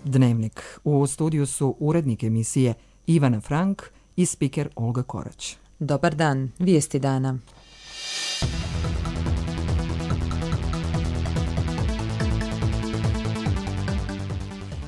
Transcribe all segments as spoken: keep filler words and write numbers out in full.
Dnevnik. U studiju su urednik emisije Ivana Frank i spiker Olga Korać. Dobar dan, vijesti dana.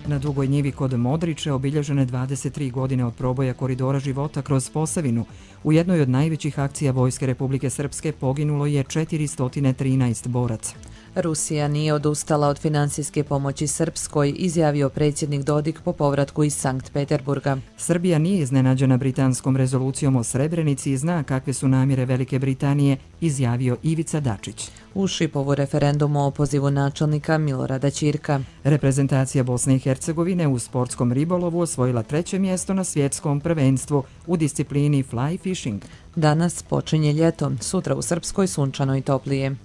Na Dugoj njivi kod Modriče obilježene dvadeset tri godine od proboja koridora života kroz Posavinu. U jednoj od najvećih akcija Vojske Republike Srpske poginulo je četiristo trinaest boraca. Rusija nije odustala od financijske pomoći Srpskoj, izjavio predsjednik Dodik po povratku iz Sankt Peterburga. Srbija nije iznenađena britanskom rezolucijom o Srebrenici i zna kakve su namjere Velike Britanije, izjavio Ivica Dačić. U Šipovu referendum o opozivu načelnika Milorada Ćirka. Reprezentacija Bosne i Hercegovine u sportskom ribolovu osvojila treće mjesto na svjetskom prvenstvu u disciplini fly fishing. Danas počinje ljeto, sutra u Srpskoj sunčano i toplije.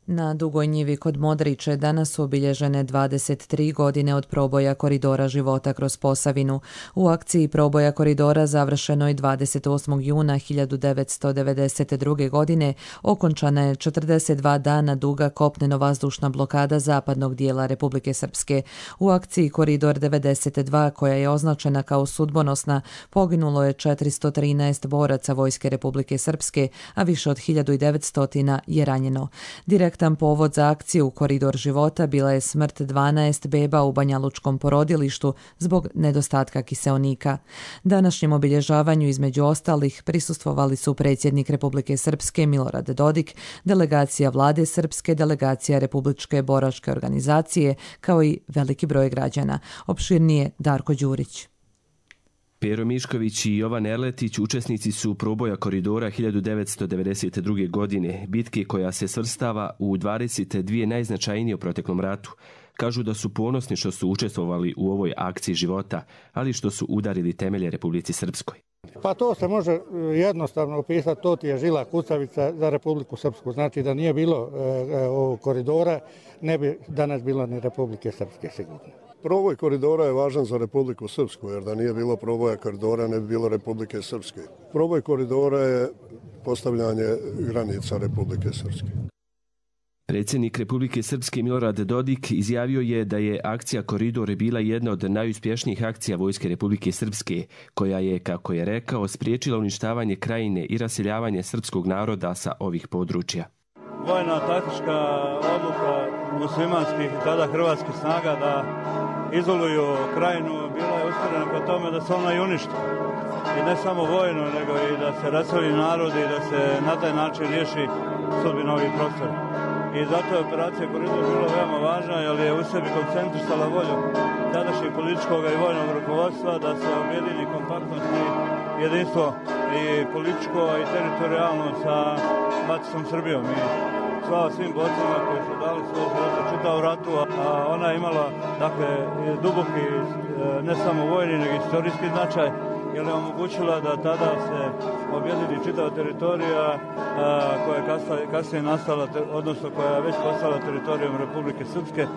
Na Dugoj njivi kod Modriče danas su obilježene dvadeset tri godine od proboja koridora života kroz Posavinu. U akciji proboja koridora završenoj dvadeset osmog juna hiljadu devetsto devedeset druge. godine okončana je četrdeset dva dana duga kopneno-vazdušna blokada zapadnog dijela Republike Srpske. U akciji Koridor devedeset dva, koja je označena kao sudbonosna, poginulo je četiristo trinaest boraca Vojske Republike Srpske, a više od hiljadu devetsto je ranjeno. Direktan povod za akciju Koridor života bila je smrt dvanaest beba u banjalučkom porodilištu zbog nedostatka kiseonika. Današnjem obilježavanju između ostalih prisustvovali su predsjednik Republike Srpske Milorad Dodik, delegacija Vlade Srpske, delegacija Republičke boračke organizacije, kao i veliki broj građana. Opširnije Darko Đurić. Pero Mišković i Jovan Erletić učesnici su proboja koridora hiljadu devetsto devedeset druge. godine, bitke koja se svrstava u dvadeset dvije najznačajnije u proteklom ratu. Kažu da su ponosni što su učestvovali u ovoj akciji života, ali što su udarili temelje Republici Srpskoj. Pa to se može jednostavno opisati, to ti je žila kucavica za Republiku Srpsku. Znači da nije bilo e, ovog koridora, ne bi danas bilo ni Republike Srpske sigurno. Proboj koridora je važan za Republiku Srpsku, jer da nije bilo proboja koridora ne bi bilo Republike Srpske. Proboj koridora je postavljanje granica Republike Srpske. Predsjednik Republike Srpske Milorad Dodik izjavio je da je akcija Koridor bila jedna od najuspješnijih akcija Vojske Republike Srpske, koja je, kako je rekao, spriječila uništavanje krajine i raseljavanje srpskog naroda sa ovih područja. Vojna taktička odluka muslimanskih i tada hrvatskih snaga da izoluju krajinu bila je usmjerena ka tome da se ona i uništi. I ne samo vojno, nego i da se raseli narod i da se na taj način riješi sudbina ovih prostora. I zato je operacija Koridor bila veoma važna, jer je u sebi koncentrisala volju tadašnjeg političkog i vojnog rukovodstva da se objedini kompaktnost i jedinstvo i političko i teritorijalno sa maticom Srbijom. I slava svim borcima koji su dali svoj život u čitavu ratu, a ona je imala dakle duboki ne samo vojni nego istorijski značaj, jer je omogućila da tada se objedini čitava teritorija a, koja je kasnije nastala, odnosno koja je već postala teritorijom Republike Srpske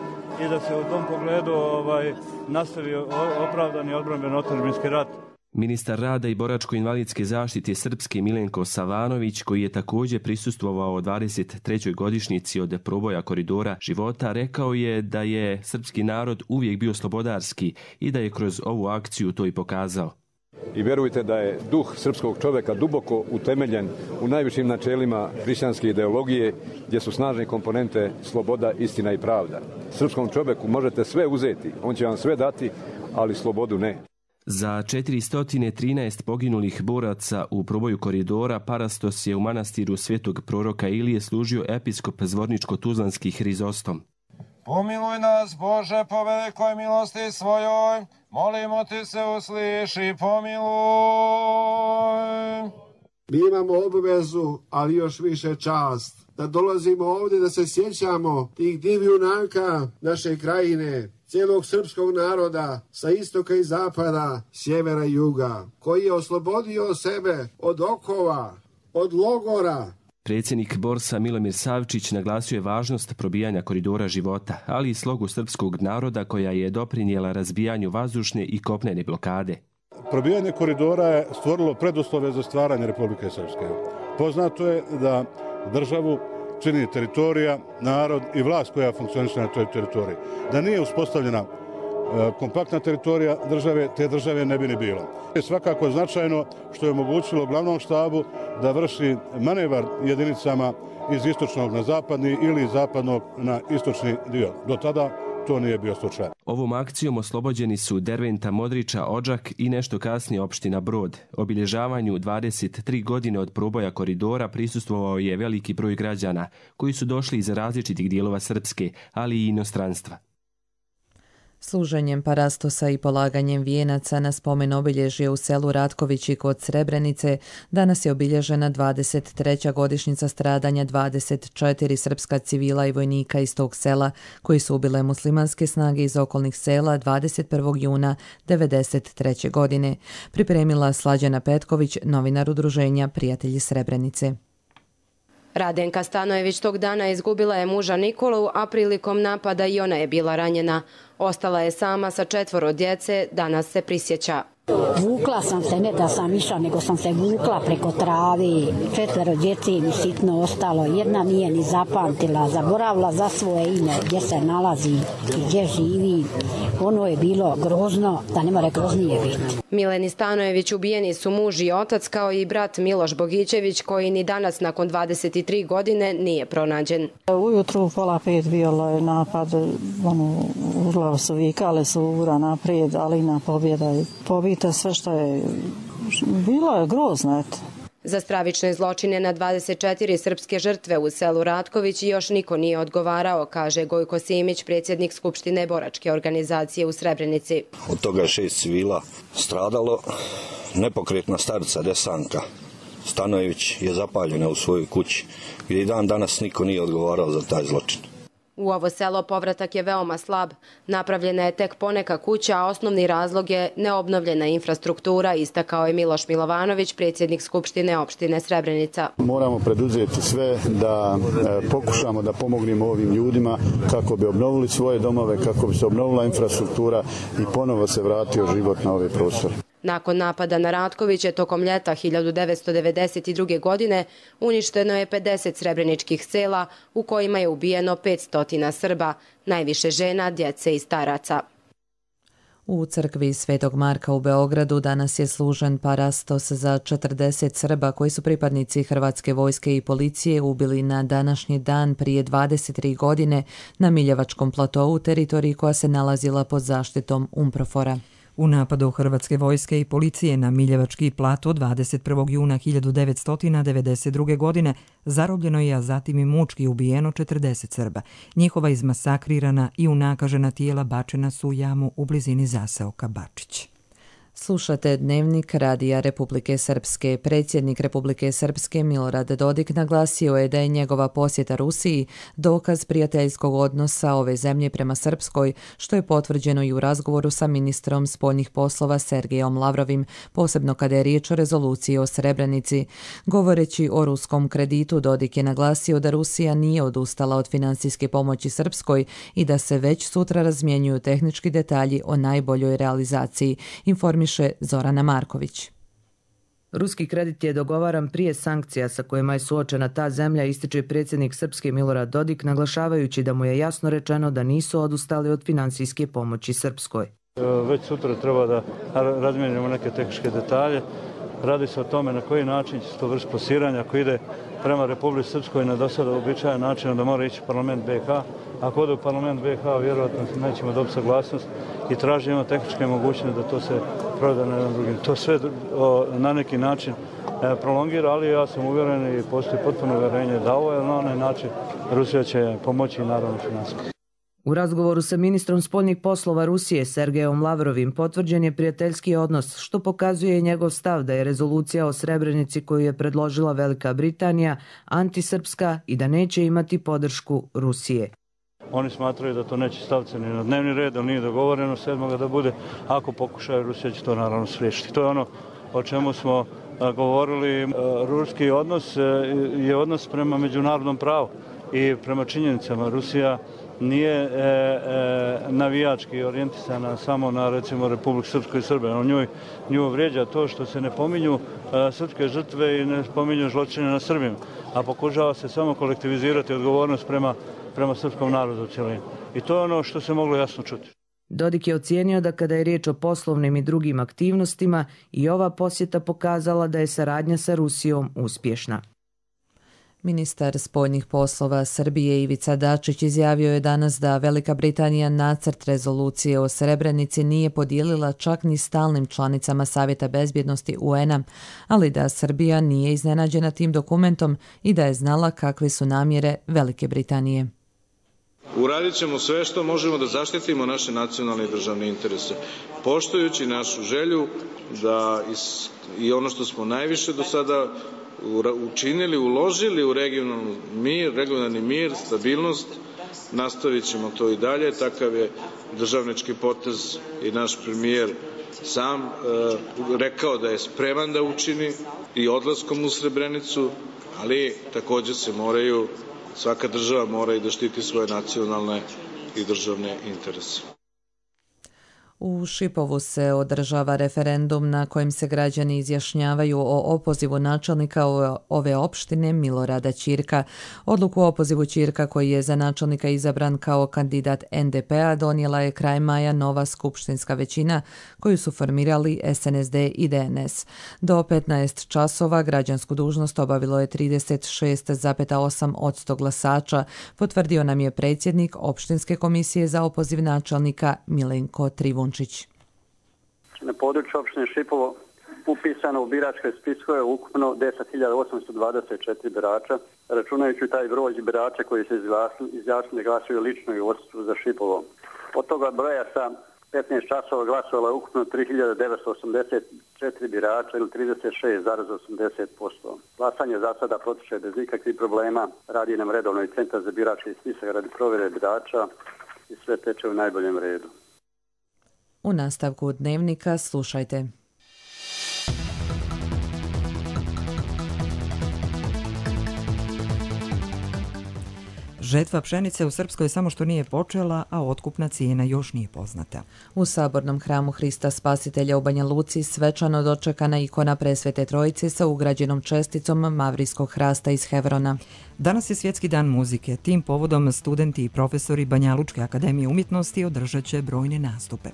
i da se u tom pogledu ovaj, nastavi opravdani odbrambeno-otadžbinski rat. Ministar rada i boračko-invalidske zaštite Srpske Milenko Savanović, koji je također prisustvovao dvadeset trećoj godišnjici od proboja koridora života, rekao je da je srpski narod uvijek bio slobodarski i da je kroz ovu akciju to i pokazao. I vjerujte da je duh srpskog čovjeka duboko utemeljen u najvišim načelima hrišćanske ideologije, gdje su snažne komponente sloboda, istina i pravda. Srpskom čovjeku možete sve uzeti, on će vam sve dati, ali slobodu ne. Za četiristo trinaest poginulih boraca u proboju koridora Parastos je u manastiru Svetog proroka Ilije služio episkop Zvorničko-Tuzlanski Hrizostom. Pomiluj nas, Bože, po velikoj milosti svojoj, molimo ti se, usliši, pomiluj. Mi imamo obavezu, ali još više čast, da dolazimo ovdje da se sjećamo tih divjunaka naše krajine, cijelog srpskog naroda sa istoka i zapada, sjevera i juga, koji je oslobodio sebe od okova, od logora. Predsjednik Borsa Milomir Savčić naglasio je važnost probijanja koridora života, ali i slogu srpskog naroda koja je doprinijela razbijanju vazdušne i kopnene blokade. Probijanje koridora je stvorilo preduslove za stvaranje Republike Srpske. Poznato je da državu čini teritorija, narod i vlast koja funkcioniše na toj teritoriji. Da nije uspostavljena kompaktna teritorija države, te države ne bi ni bilo. Svakako je značajno što je omogućilo glavnom štabu da vrši manevar jedinicama iz istočnog na zapadni ili iz zapadnog na istočni dio. Do tada to nije bio slučaj. Ovom akcijom oslobođeni su Derventa, Modriča, Odžak i nešto kasnije opština Brod. Obilježavanju dvadeset tri godine od proboja koridora prisustvovao je veliki broj građana koji su došli iz različitih dijelova Srpske, ali i inostranstva. Služenjem parastosa i polaganjem vijenaca na spomen obilježje u selu Ratkovići kod Srebrenice danas je obilježena dvadeset treća godišnjica stradanja dvadeset četiri srpska civila i vojnika iz tog sela koji su ubile muslimanske snage iz okolnih sela dvadeset prvog juna devedeset treće. godine. Pripremila Slađana Petković, novinar udruženja Prijatelji Srebrenice. Radenka Stanojević tog dana izgubila je muža Nikolu, a prilikom napada i ona je bila ranjena. Ostala je sama sa četvoro djece, danas se prisjeća. Vukla sam se, ne da sam išla, nego sam se vukla preko travi. Četvero djece mi sitno ostalo. Jedna nije ni zapamtila, zaboravila za svoje ime, gdje se nalazi i gdje živi. Ono je bilo grozno, da ne more groznije biti. Mileni Stanojević ubijeni su muž i otac, kao i brat Miloš Bogićević, koji ni danas nakon dvadeset tri godine nije pronađen. Ujutru pola pet bio je napad, ono, u glavu su vikale su ura naprijed, Alina pobjeda i pobita sve što je bilo je grozno, eto. Za stravične zločine na dvadeset četiri srpske žrtve u selu Ratković još niko nije odgovarao, kaže Gojko Simić, predsjednik Skupštine boračke organizacije u Srebrenici. Od toga je šest civila stradalo, nepokretna starica Desanka Stanojević je zapaljena u svojoj kući, gdje i dan danas niko nije odgovarao za taj zločin. U ovo selo povratak je veoma slab. Napravljena je tek poneka kuća, a osnovni razlog je neobnovljena infrastruktura, istakao je Miloš Milovanović, predsjednik Skupštine opštine Srebrenica. Moramo preduzeti sve da e, pokušamo da pomognemo ovim ljudima kako bi obnovili svoje domove, kako bi se obnovila infrastruktura i ponovo se vratio život na ove prostore. Nakon napada na Ratkoviće tokom ljeta hiljadu devetsto devedeset druge. godine uništeno je pedeset srebreničkih sela u kojima je ubijeno petsto Srba, najviše žena, djece i staraca. U crkvi Svetog Marka u Beogradu danas je služen parastos za četrdeset Srba koji su pripadnici Hrvatske vojske i policije ubili na današnji dan prije dvadeset tri godine na Miljevačkom platovu, teritoriji koja se nalazila pod zaštitom UNPROFOR-a. U napadu Hrvatske vojske i policije na Miljevački plato dvadeset prvog juna hiljadu devetsto devedeset druge. godine zarobljeno je, a zatim i mučki ubijeno četrdeset Srba. Njihova izmasakrirana i unakažena tijela bačena su u jamu u blizini zaseoka Bačić. Slušate Dnevnik Radija Republike Srpske. Predsjednik Republike Srpske Milorad Dodik naglasio je da je njegova posjeta Rusiji dokaz prijateljskog odnosa ove zemlje prema Srpskoj, što je potvrđeno i u razgovoru sa ministrom spoljnih poslova Sergejom Lavrovim, posebno kada je riječ o rezoluciji o Srebrenici. Govoreći o ruskom kreditu, Dodik je naglasio da Rusija nije odustala od financijske pomoći Srpskoj i da se već sutra razmjenjuju tehnički detalji o najboljoj realizaciji, informiše Zorana Marković. Ruski kredit je dogovaran prije sankcija sa kojima je suočena ta zemlja, ističe predsjednik Srpske Milorad Dodik, naglašavajući da mu je jasno rečeno da nisu odustali od financijske pomoći Srpskoj. Već sutra treba da razmijenimo neke tehničke detalje. Radi se o tome na koji način će se to vršiti plasiranja. Ako ide prema Republici Srpskoj na do sada uobičajen način, da mora ići parlament B H. Ako ode u parlament B H, vjerojatno nećemo dobiti saglasnost i tražimo tehničke mogućnosti da to se proda na jedan drugim. To sve na neki način prolongira, ali ja sam uvjeren i postoji potpuno uvjerenje da ovo je na onaj način Rusija će pomoći i naravno finansijski. U razgovoru sa ministrom spoljnih poslova Rusije Sergejom Lavrovim potvrđen je prijateljski odnos, što pokazuje njegov stav da je rezolucija o Srebrenici koju je predložila Velika Britanija antisrpska i da neće imati podršku Rusije. Oni smatraju da to neće staviti ni na dnevni red, ali nije dogovoreno sedmoga da bude. Ako pokušaju, Rusija će to naravno spriječiti. To je ono o čemu smo govorili. Ruski odnos je odnos prema međunarodnom pravu. i prema činjenicama Rusija nije e, e, navijački orijentisana samo na recimo Republiku Srpsku i Srbe. On njoj, nju vrijeđa to što se ne pominju e, srpske žrtve i ne spominju zločine na Srbima, a pokušava se samo kolektivizirati odgovornost prema, prema srpskom narodu u cjelini. I to je ono što se moglo jasno čuti. Dodik je ocijenio da kada je riječ o poslovnim i drugim aktivnostima i ova posjeta pokazala da je saradnja sa Rusijom uspješna. Ministar spoljnih poslova Srbije Ivica Dačić izjavio je danas da Velika Britanija nacrt rezolucije o Srebrenici nije podijelila čak ni stalnim članicama Savjeta bezbjednosti U N-a, ali da Srbija nije iznenađena tim dokumentom i da je znala kakve su namjere Velike Britanije. Uradit ćemo sve što možemo da zaštitimo naše nacionalne i državne interese, poštujući našu želju da is, i ono što smo najviše do sada učinili, uložili u regionalni mir, regionalni mir, stabilnost, nastavit ćemo to i dalje. Takav je državnički potez i naš premijer sam e, rekao da je spreman da učini i odlaskom u Srebrenicu, ali također se moraju, svaka država mora i da štiti svoje nacionalne i državne interese. U Šipovu se održava referendum na kojem se građani izjašnjavaju o opozivu načelnika ove opštine Milorada Ćirka. Odluku o opozivu Ćirka, koji je za načelnika izabran kao kandidat N D P-a, donijela je kraj maja nova skupštinska većina koju su formirali S N S D i D N S. Do petnaest časova građansku dužnost obavilo je trideset šest zarez osam posto glasača, potvrdio nam je predsjednik opštinske komisije za opoziv načelnika Milenko Trivun. Na području opštine Šipovo upisano u biračke spiskove ukupno deset hiljada osamsto dvadeset četiri birača, računajući taj broj birača koji se izjasnili glasuju lično i u odsustvu za Šipovo. Od toga broja sa petnaest časova glasovalo je ukupno tri hiljade devetsto osamdeset četiri birača ili trideset šest zarez osamdeset posto. Glasanje za sada protiče bez ikakvih problema, radi nam redovno i centar za birački spisak radi provjere birača i sve teče u najboljem redu. U nastavku dnevnika slušajte. Žetva pšenice u Srpskoj samo što nije počela, a otkupna cijena još nije poznata. U Sabornom hramu Hrista Spasitelja u Banja Luci svečano dočekana ikona Presvete Trojice sa ugrađenom česticom mavrijskog hrasta iz Hevrona. Danas je Svjetski dan muzike. Tim povodom studenti i profesori Banjalučke akademije umjetnosti održat će brojne nastupe.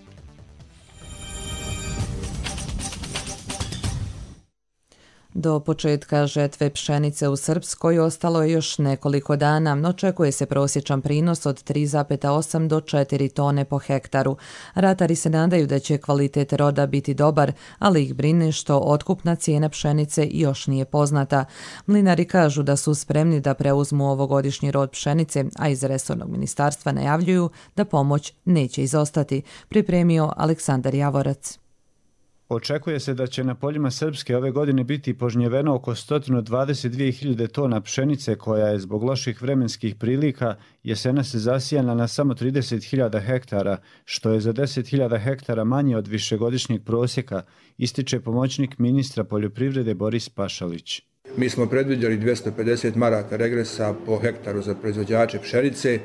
Do početka žetve pšenice u Srpskoj ostalo je još nekoliko dana. Očekuje se prosječan prinos od tri zarez osam do četiri tone po hektaru. Ratari se nadaju da će kvalitet roda biti dobar, ali ih brine što otkupna cijena pšenice još nije poznata. Mlinari kažu da su spremni da preuzmu ovogodišnji rod pšenice, a iz resornog ministarstva najavljuju da pomoć neće izostati, pripremio Aleksandar Javorac. Očekuje se da će na poljima Srpske ove godine biti požnjeveno oko sto dvadeset dvije hiljade tona pšenice koja je zbog loših vremenskih prilika jesena se zasijana na samo trideset hiljada hektara, što je za deset hiljada hektara manje od višegodišnjeg prosjeka, ističe pomoćnik ministra poljoprivrede Boris Pašalić. Mi smo predviđali dvjesto pedeset maraka regresa po hektaru za proizvođače pšenice,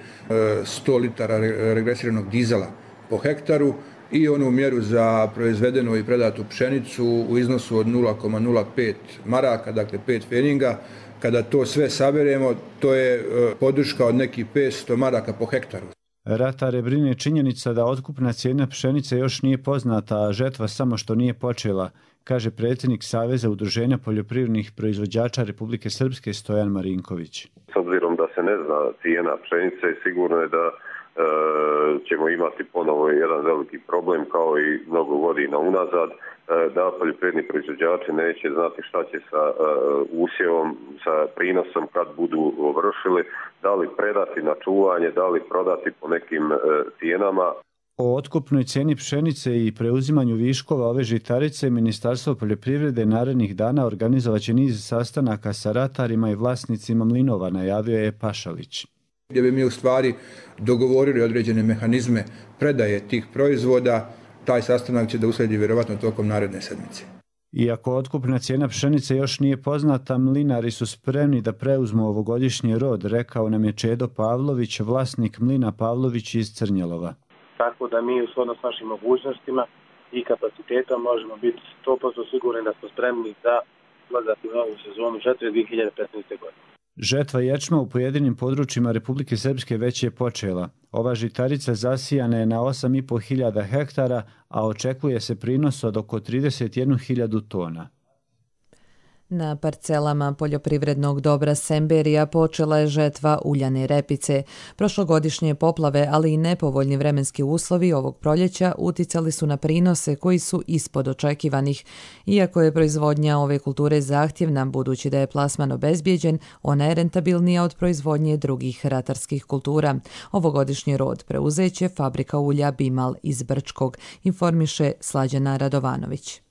sto litara regresiranog dizela po hektaru, i onu mjeru za proizvedenu i predatu pšenicu u iznosu od nula zarez nula pet maraka, dakle pet feninga. Kada to sve saberemo, to je podrška od nekih petsto maraka po hektaru. Ratare brine činjenica da otkupna cijena pšenice još nije poznata, a žetva samo što nije počela, kaže predsjednik Saveza udruženja poljoprivrednih proizvođača Republike Srpske Stojan Marinković. S obzirom da se ne zna cijena pšenice, sigurno je da ćemo imati ponovo jedan veliki problem kao i mnogo godina unazad, da poljoprivredni proizvođači neće znati šta će sa usjevom, sa prinosom kad budu vršili, da li predati na čuvanje, da li prodati po nekim cijenama. O otkupnoj cijeni pšenice i preuzimanju viškova ove žitarice Ministarstvo poljoprivrede narednih dana organizovaće niz sastanaka sa ratarima i vlasnicima mlinova, najavio je Pašalić. Gdje bi mi u stvari dogovorili određene mehanizme predaje tih proizvoda, taj sastanak će da usledi vjerovatno tokom naredne sedmice. Iako otkupna cijena pšenice još nije poznata, mlinari su spremni da preuzmu ovogodišnji rod, rekao nam je Čedo Pavlović, vlasnik mlina Pavlović iz Crnjelova. Tako da mi u shodno s našim mogućnostima i kapacitetom možemo biti sto posto sigurni da smo spremni za ulazak u novu sezonu žetve dvije hiljade petnaeste. godine. Žetva ječma u pojedinim područjima Republike Srpske već je počela. Ova žitarica zasijana je na osam i po hiljada hektara, a očekuje se prinos od oko trideset jednu hiljadu tona. Na parcelama poljoprivrednog dobra Semberija počela je žetva uljane repice. Prošlogodišnje poplave, ali i nepovoljni vremenski uslovi ovog proljeća uticali su na prinose koji su ispod očekivanih. Iako je proizvodnja ove kulture zahtjevna, budući da je plasman obezbijeđen, ona je rentabilnija od proizvodnje drugih ratarskih kultura. Ovogodišnji rod preuzeće fabrika ulja Bimal iz Brčkog, informiše Slađana Radovanović.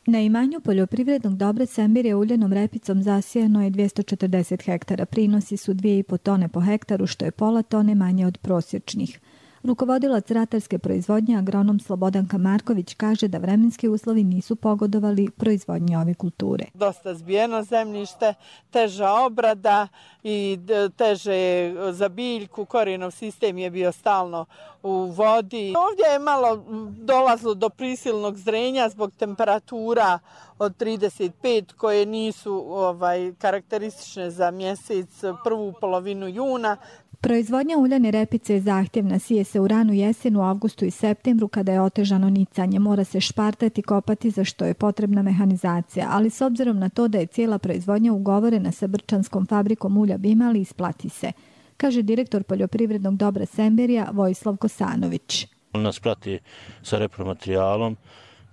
Na imanju poljoprivrednog dobra Semberija uljanom repicom zasijano je dvjesto četrdeset hektara. Prinosi su dvije i po tone po hektaru, što je pola tone manje od prosječnih. Rukovodilac ratarske proizvodnje, agronom Slobodanka Marković, kaže da vremenski uslovi nisu pogodovali proizvodnji ove kulture. Dosta zbijeno zemljište, teža obrada i teže za biljku, korijenov sistem je bio stalno u vodi. Ovdje je malo dolazilo do prisilnog zrenja zbog temperatura od trideset pet koje nisu ovaj, karakteristične za mjesec, prvu polovinu juna. Proizvodnja uljane repice je zahtjevna, sije se u ranu jesenu, avgustu i septembru kada je otežano nicanje. Mora se špartati, kopati, za što je potrebna mehanizacija, ali s obzirom na to da je cijela proizvodnja ugovorena sa brčanskom fabrikom ulja Bimal, isplati se, kaže direktor poljoprivrednog dobra Semberija Vojislav Kosanović. On nas prati sa repromaterijalom,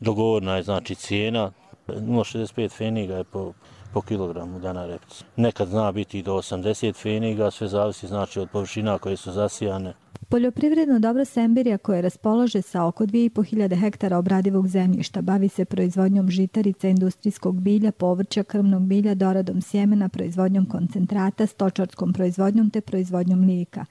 dogovorna je znači cijena, nula zarez šezdeset pet feniga je po po kilogramu dana repice. Nekad zna biti i do osamdeset feniga, sve zavisi znači od površina koje su zasijane. Poljoprivredno dobro Semberija, koje raspolaže sa oko dvije i po hiljade hektara obradivog zemljišta, bavi se proizvodnjom žitarica, industrijskog bilja, povrća, krmnog bilja, doradom sjemena, proizvodnjom koncentrata, stočarskom proizvodnjom te proizvodnjom mlijeka.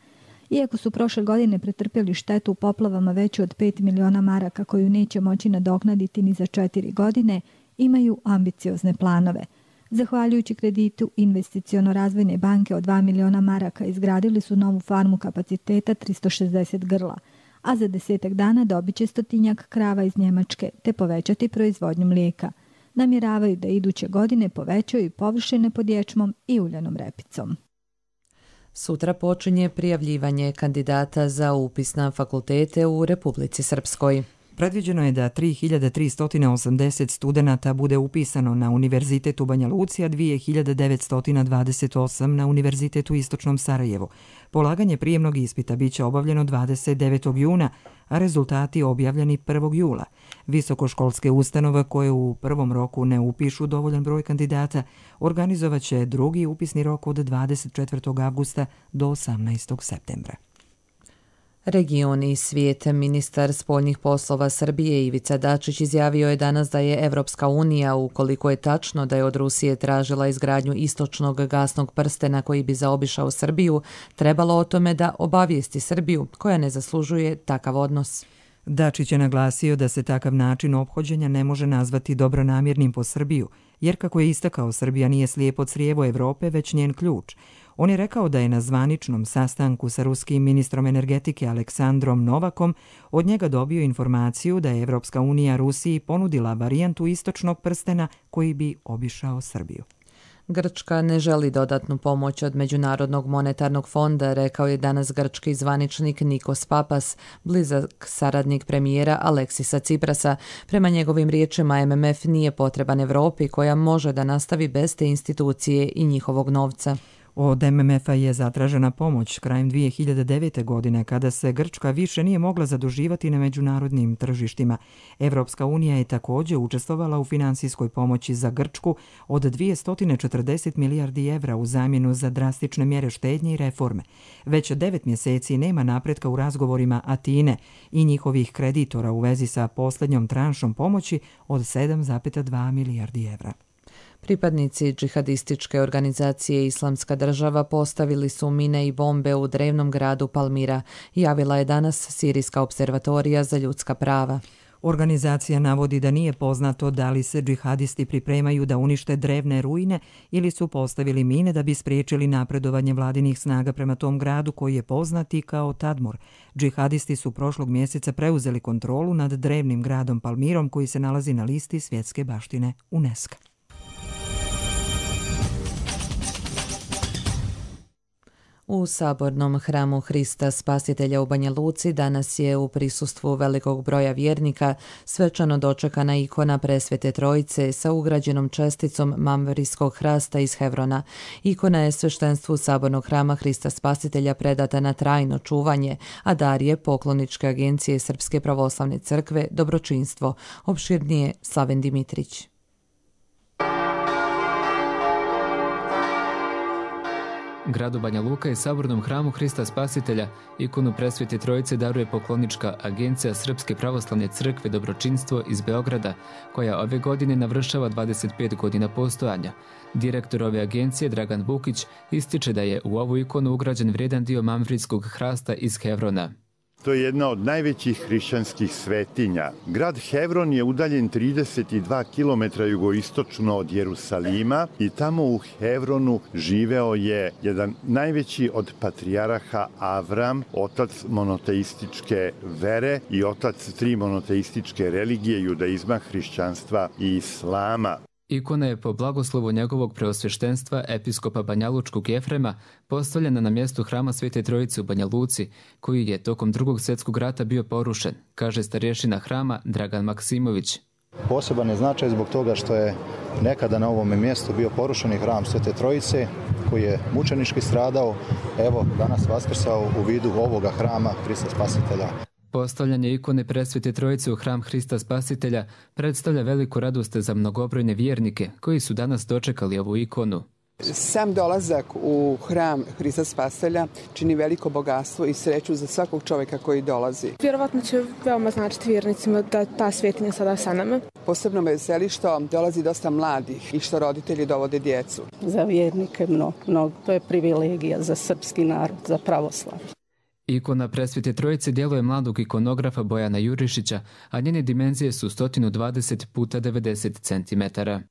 Iako su prošle godine pretrpjeli štetu u poplavama veću od pet miliona maraka koju neće moći nadoknaditi ni za četiri godine, imaju ambiciozne planove. Zahvaljujući kreditu Investiciono-razvojne banke od dva miliona maraka izgradili su novu farmu kapaciteta tristo šezdeset grla, a za desetak dana dobit će stotinjak krava iz Njemačke te povećati proizvodnju mlijeka. Namjeravaju da iduće godine povećaju površine pod ječmom i uljanom repicom. Sutra počinje prijavljivanje kandidata za upis na fakultete u Republici Srpskoj. Predviđeno je da tri hiljade tristo osamdeset studenata bude upisano na Univerzitet u Banja Luci, a dvije hiljade devetsto dvadeset osam na Univerzitetu u Istočnom Sarajevu. Polaganje prijemnog ispita biće obavljeno dvadeset devetog juna, a rezultati objavljeni prvog jula. Visokoškolske ustanove koje u prvom roku ne upišu dovoljan broj kandidata organizovaće drugi upisni rok od dvadeset četvrtog avgusta do osamnaestog septembra. Region i svijet. Ministar spoljnih poslova Srbije Ivica Dačić izjavio je danas da je Evropska unija, ukoliko je tačno da je od Rusije tražila izgradnju istočnog gasnog prstena koji bi zaobišao Srbiju, trebalo o tome da obavijesti Srbiju, koja ne zaslužuje takav odnos. Dačić je naglasio da se takav način ophođenja ne može nazvati dobronamjernim po Srbiju, jer kako je istakao, Srbija nije slijepo crijevo Evrope, već njen ključ. On je rekao da je na zvaničnom sastanku sa ruskim ministrom energetike Aleksandrom Novakom od njega dobio informaciju da je Evropska unija Rusiji ponudila varijantu istočnog prstena koji bi obišao Srbiju. Grčka ne želi dodatnu pomoć od Međunarodnog monetarnog fonda, rekao je danas grčki zvaničnik Nikos Papas, blizak saradnik premijera Aleksisa Ciprasa. Prema njegovim riječima, M M F nije potreban Evropi koja može da nastavi bez te institucije i njihovog novca. Od M M F-a je zatražena pomoć krajem dvije hiljade devete. godine kada se Grčka više nije mogla zaduživati na međunarodnim tržištima. Evropska unija je također učestvovala u finansijskoj pomoći za Grčku od dvjesto četrdeset milijardi evra u zamjenu za drastične mjere štednje i reforme. Već devet mjeseci nema napretka u razgovorima Atine i njihovih kreditora u vezi sa posljednjom tranšom pomoći od sedam zarez dva milijardi evra. Pripadnici džihadističke organizacije Islamska država postavili su mine i bombe u drevnom gradu Palmira, javila je danas Sirijska observatorija za ljudska prava. Organizacija navodi da nije poznato da li se džihadisti pripremaju da unište drevne ruine ili su postavili mine da bi spriječili napredovanje vladinih snaga prema tom gradu koji je poznati kao Tadmor. Džihadisti su prošlog mjeseca preuzeli kontrolu nad drevnim gradom Palmirom koji se nalazi na listi svjetske baštine UNESCO. U sabornom hramu Hrista Spasitelja u Banja Luci danas je u prisustvu velikog broja vjernika svečano dočekana ikona Presvete Trojice sa ugrađenom česticom mamverijskog hrasta iz Hevrona. Ikona je sveštenstvu sabornog hrama Hrista Spasitelja predata na trajno čuvanje, a dar je pokloničke agencije Srpske pravoslavne crkve Dobročinstvo. Opširnije Slaven Dimitrić. Gradu Banja Luka i sabornom hramu Hrista Spasitelja ikonu Presvete Trojice daruje poklonička agencija Srpske pravoslavne crkve Dobročinstvo iz Beograda, koja ove godine navršava dvadeset pet godina postojanja. Direktor ove agencije, Dragan Vukić, ističe da je u ovu ikonu ugrađen vrijedan dio mamvrijskog hrasta iz Hevrona. To je jedna od najvećih hrišćanskih svetinja. Grad Hevron je udaljen trideset dva kilometra jugoistočno od Jerusalima i tamo u Hevronu živeo je jedan najveći od patrijaraha Avram, otac monoteističke vere i otac tri monoteističke religije, judaizma, hrišćanstva i islama. Ikona je po blagoslovu njegovog preosveštenstva episkopa Banjalučkog Jefrema postavljena na mjestu hrama Svete Trojice u Banja Luci, koji je tokom drugog svjetskog rata bio porušen, kaže starješina hrama Dragan Maksimović. Poseban je značaj zbog toga što je nekada na ovom mjestu bio porušeni hram Svete Trojice, koji je mučenički stradao, evo danas vaskrsao u vidu ovoga hrama Hrista Spasitelja. Postavljanje ikone Presvete Trojice u hram Hrista Spasitelja predstavlja veliku radost za mnogobrojne vjernike koji su danas dočekali ovu ikonu. Sam dolazak u hram Hrista Spasitelja čini veliko bogatstvo i sreću za svakog čovjeka koji dolazi. Vjerovatno će veoma značiti vjernicima da ta svetinja sada sa nama. Posebno me veseli što dolazi dosta mladih i što roditelji dovode djecu. Za vjernike mnogo, mnogo. To je privilegija za srpski narod, za pravoslavlje. Ikona Presvete Trojice djeluje mladog ikonografa Bojana Jurišića, a njene dimenzije su sto dvadeset puta devedeset centimetara.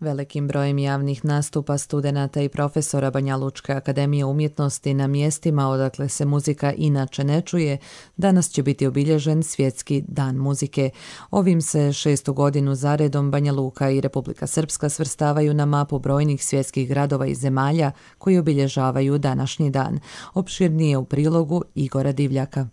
Velikim brojem javnih nastupa studenata i profesora Banja Lučke akademije umjetnosti na mjestima odakle se muzika inače ne čuje, danas će biti obilježen Svjetski dan muzike. Ovim se šestu godinu zaredom Banja Luka i Republika Srpska svrstavaju na mapu brojnih svjetskih gradova i zemalja koji obilježavaju današnji dan. Opširnije u prilogu Igora Divljaka.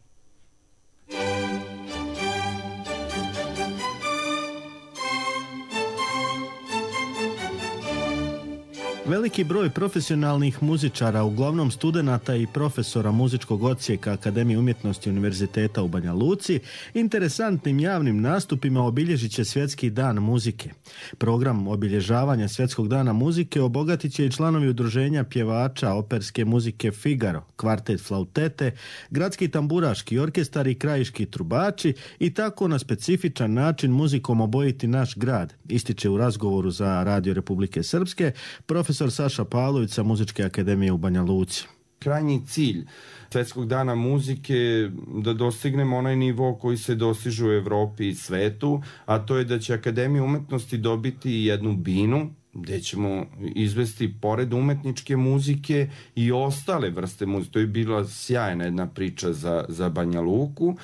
Veliki broj profesionalnih muzičara, uglavnom studenata i profesora muzičkog odsjeka Akademije umjetnosti Univerziteta u Banja Luci, interesantnim javnim nastupima obilježit će Svjetski dan muzike. Program obilježavanja Svjetskog dana muzike obogatit će i članovi udruženja pjevača operske muzike Figaro, kvartet flautete, gradski tamburaški orkestar i krajiški trubači i tako na specifičan način muzikom obojiti naš grad, ističe u razgovoru za Radio Republike Srpske profesor Saša Pavlović sa Muzičke akademije u Banja Luci. Krajnji cilj Svjetskog dana muzike je da dostignemo onaj nivo koji se dostiže u Evropi i svetu, a to je da će Akademija umjetnosti dobiti jednu binu gdje ćemo izvesti pored umetničke muzike i ostale vrste muzike. To je bila sjajna jedna priča za, za Banja Luku.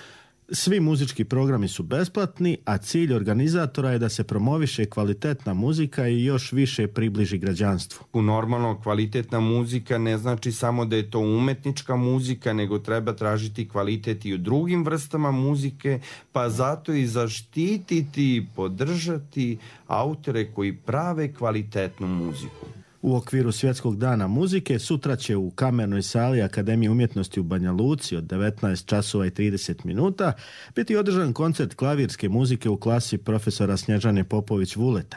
Svi muzički programi su besplatni, a cilj organizatora je da se promoviše kvalitetna muzika i još više približi građanstvu. Normalno, kvalitetna muzika ne znači samo da je to umetnička muzika, nego treba tražiti kvalitet i u drugim vrstama muzike, pa zato i zaštititi i podržati autore koji prave kvalitetnu muziku. U okviru Svjetskog dana muzike sutra će u kamernoj sali Akademije umjetnosti u Banja Luci od devetnaest časova i trideset minuta biti održan koncert klavirske muzike u klasi profesora Snježane Popović-Vuleta.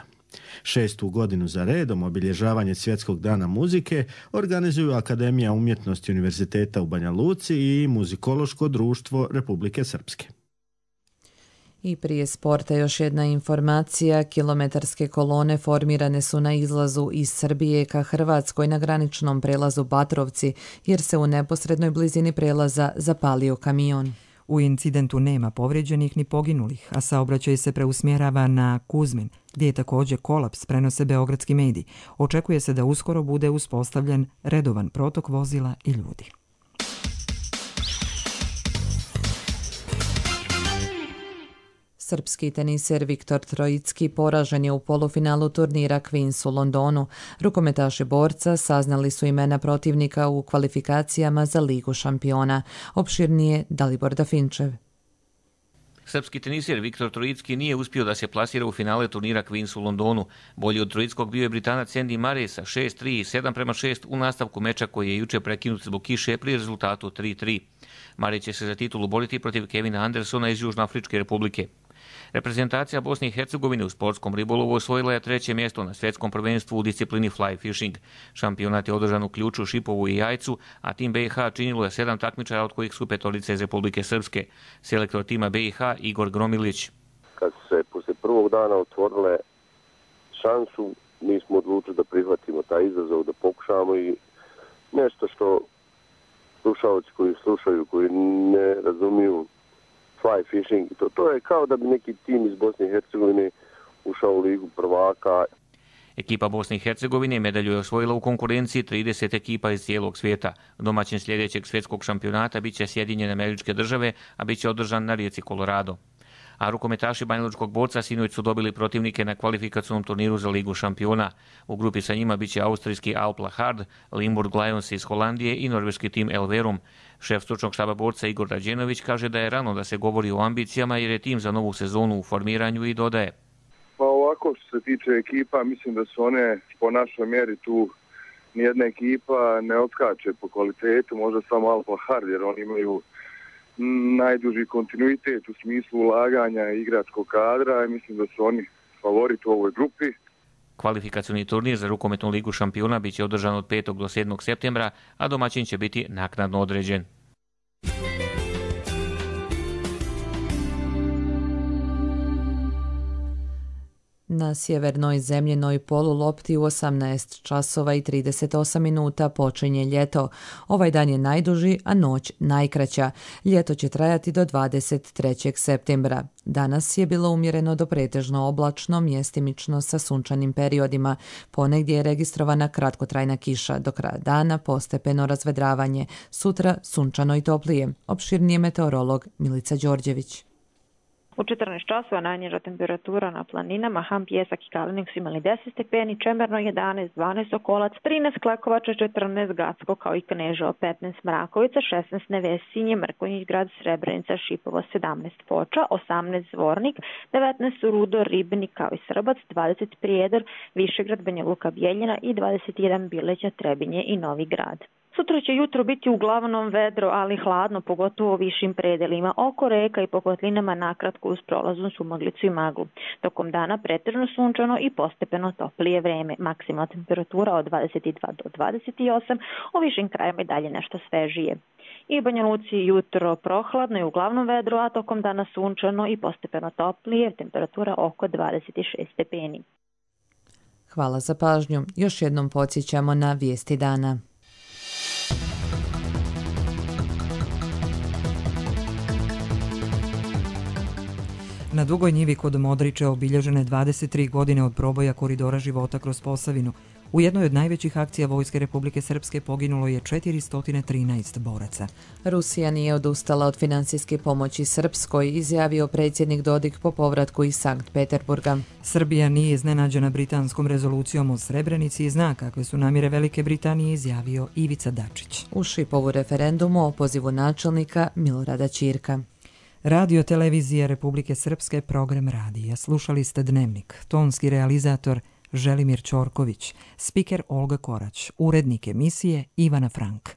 Šestu godinu za redom obilježavanje Svjetskog dana muzike organizuju Akademija umjetnosti Univerziteta u Banja Luci i Muzikološko društvo Republike Srpske. I prije sporta još jedna informacija. Kilometarske kolone formirane su na izlazu iz Srbije ka Hrvatskoj na graničnom prelazu Batrovci, jer se u neposrednoj blizini prelaza zapalio kamion. U incidentu nema povrijeđenih ni poginulih, a saobraćaj se preusmjerava na Kuzmin, gdje je također kolaps, prenose beogradski mediji. Očekuje se da uskoro bude uspostavljen redovan protok vozila i ljudi. Srpski teniser Viktor Trojicki poražen je u polufinalu turnira Queens u Londonu. Rukometaši borca saznali su imena protivnika u kvalifikacijama za Ligu šampiona. Opširnije Dalibor Dafinčev. Srpski teniser Viktor Trojicki nije uspio da se plasira u finale turnira Queens u Londonu. Bolji od Trojickog bio je Britanac Andy Murray sa šest tri i sedam prema šest u nastavku meča koji je juče prekinut zbog kiše pri rezultatu tri tri. Murray će se za titulu boriti protiv Kevina Andersona iz Južnoafričke republike. Reprezentacija Bosne i Hercegovine u sportskom ribolovu osvojila je treće mjesto na svjetskom prvenstvu u disciplini fly fishing. Šampionat je održan u Ključu, Šipovu i Jajcu, a tim B i H činilo je sedam takmičara, od kojih su petorice iz Republike Srpske. Selektor tima B i H Igor Gromilić. Kad se posle prvog dana otvorile šansu, mi smo odlučili da prihvatimo taj izazov, da pokušamo i nešto što slušalci koji slušaju, koji ne razumiju fly fishing, to, to je kao da bi neki tim iz Bosne i Hercegovine ušao u ligu prvaka. Ekipa Bosne i Hercegovine medalju je osvojila u konkurenciji trideset ekipa iz cijelog svijeta. Domaćin sljedećeg svjetskog šampionata biće Sjedinjene Američke Države, a bit će održan na rijeci Colorado. A rukometaši banjalučkog borca sinoć su dobili protivnike na kvalifikacionom turniru za Ligu šampiona. U grupi sa njima biće austrijski Alp Lahard, Limburg Lions iz Holandije i norveški tim Elverum. Šef stručnog štaba borca Igor Rađenović kaže da je rano da se govori o ambicijama jer je tim za novu sezonu u formiranju i dodaje. Pa ovako što se tiče ekipa, mislim da su one po našoj mjeri tu, nijedna ekipa ne odskače po kvalitetu, možda samo Alp Lahard jer oni imaju najduži kontinuitet u smislu ulaganja igračkog kadra i mislim da su oni favorit u ovoj grupi. Kvalifikacioni turnir za rukometnu ligu šampiona biće održan od petog do sedmog septembra, a domaćin će biti naknadno određen. Na sjevernoj zemljenoj polulopti u osamnaest časova i trideset osam minuta počinje ljeto. Ovaj dan je najduži, a noć najkraća. Ljeto će trajati do dvadeset trećeg septembra. Danas je bilo umjereno do pretežno oblačno, mjestimično sa sunčanim periodima. Ponegdje je registrovana kratkotrajna kiša, do kraja dana postepeno razvedravanje. Sutra sunčano i toplije. Opširnije meteorolog Milica Đorđević. U četrnaest časova najniža temperatura na planinama, Ham, Pjesak i Kalinik su imali deset stepeni, Čemerno jedanaest, dvanaest Okolac, trinaest Klekovača, četrnaest Gacko, kao i Kneževo, petnaest Mrakovica, šesnaest Nevesinje, Mrkonjić Grad, Srebrenica, Šipovo, sedamnaest Foča, osamnaest Zvornik, devetnaest Rudo, Ribnik, kao i Srbac, dvadeset Prijedor, Višegrad, Banja Luka, Bjeljina i dvadeset jedan Bileća, Trebinje i Novi Grad. Sutra će jutro biti uglavnom vedro, ali hladno, pogotovo u višim predelima. Oko reka i po kotlinama nakratko uz prolaznu sumaglicu i maglu. Tokom dana pretežno sunčano i postepeno toplije vreme. Maksimalna temperatura od dvadeset dva do dvadeset osam, u višim krajima i dalje nešto svežije. I u Banja Luci jutro prohladno i uglavnom vedro, a tokom dana sunčano i postepeno toplije, temperatura oko dvadeset šest stepeni. Hvala za pažnju. Još jednom podsjećamo na vijesti dana. Na Dugoj njivi kod Modriče obilježene dvadeset tri godine od proboja koridora života kroz Posavinu. U jednoj od najvećih akcija Vojske Republike Srpske poginulo je četiristo trinaest boraca. Rusija nije odustala od finansijske pomoći Srpskoj, izjavio predsjednik Dodik po povratku iz Sankt Peterburga. Srbija nije iznenađena britanskom rezolucijom o Srebrenici i zna kakve su namjere Velike Britanije, izjavio Ivica Dačić. U Šipovu referendumu o opozivu načelnika Milorada Ćirka. Radio televizije Republike Srpske, program radija. Slušali ste Dnevnik. Tonski realizator Želimir Ćorković, spiker Olga Korać, urednik emisije Ivana Frank.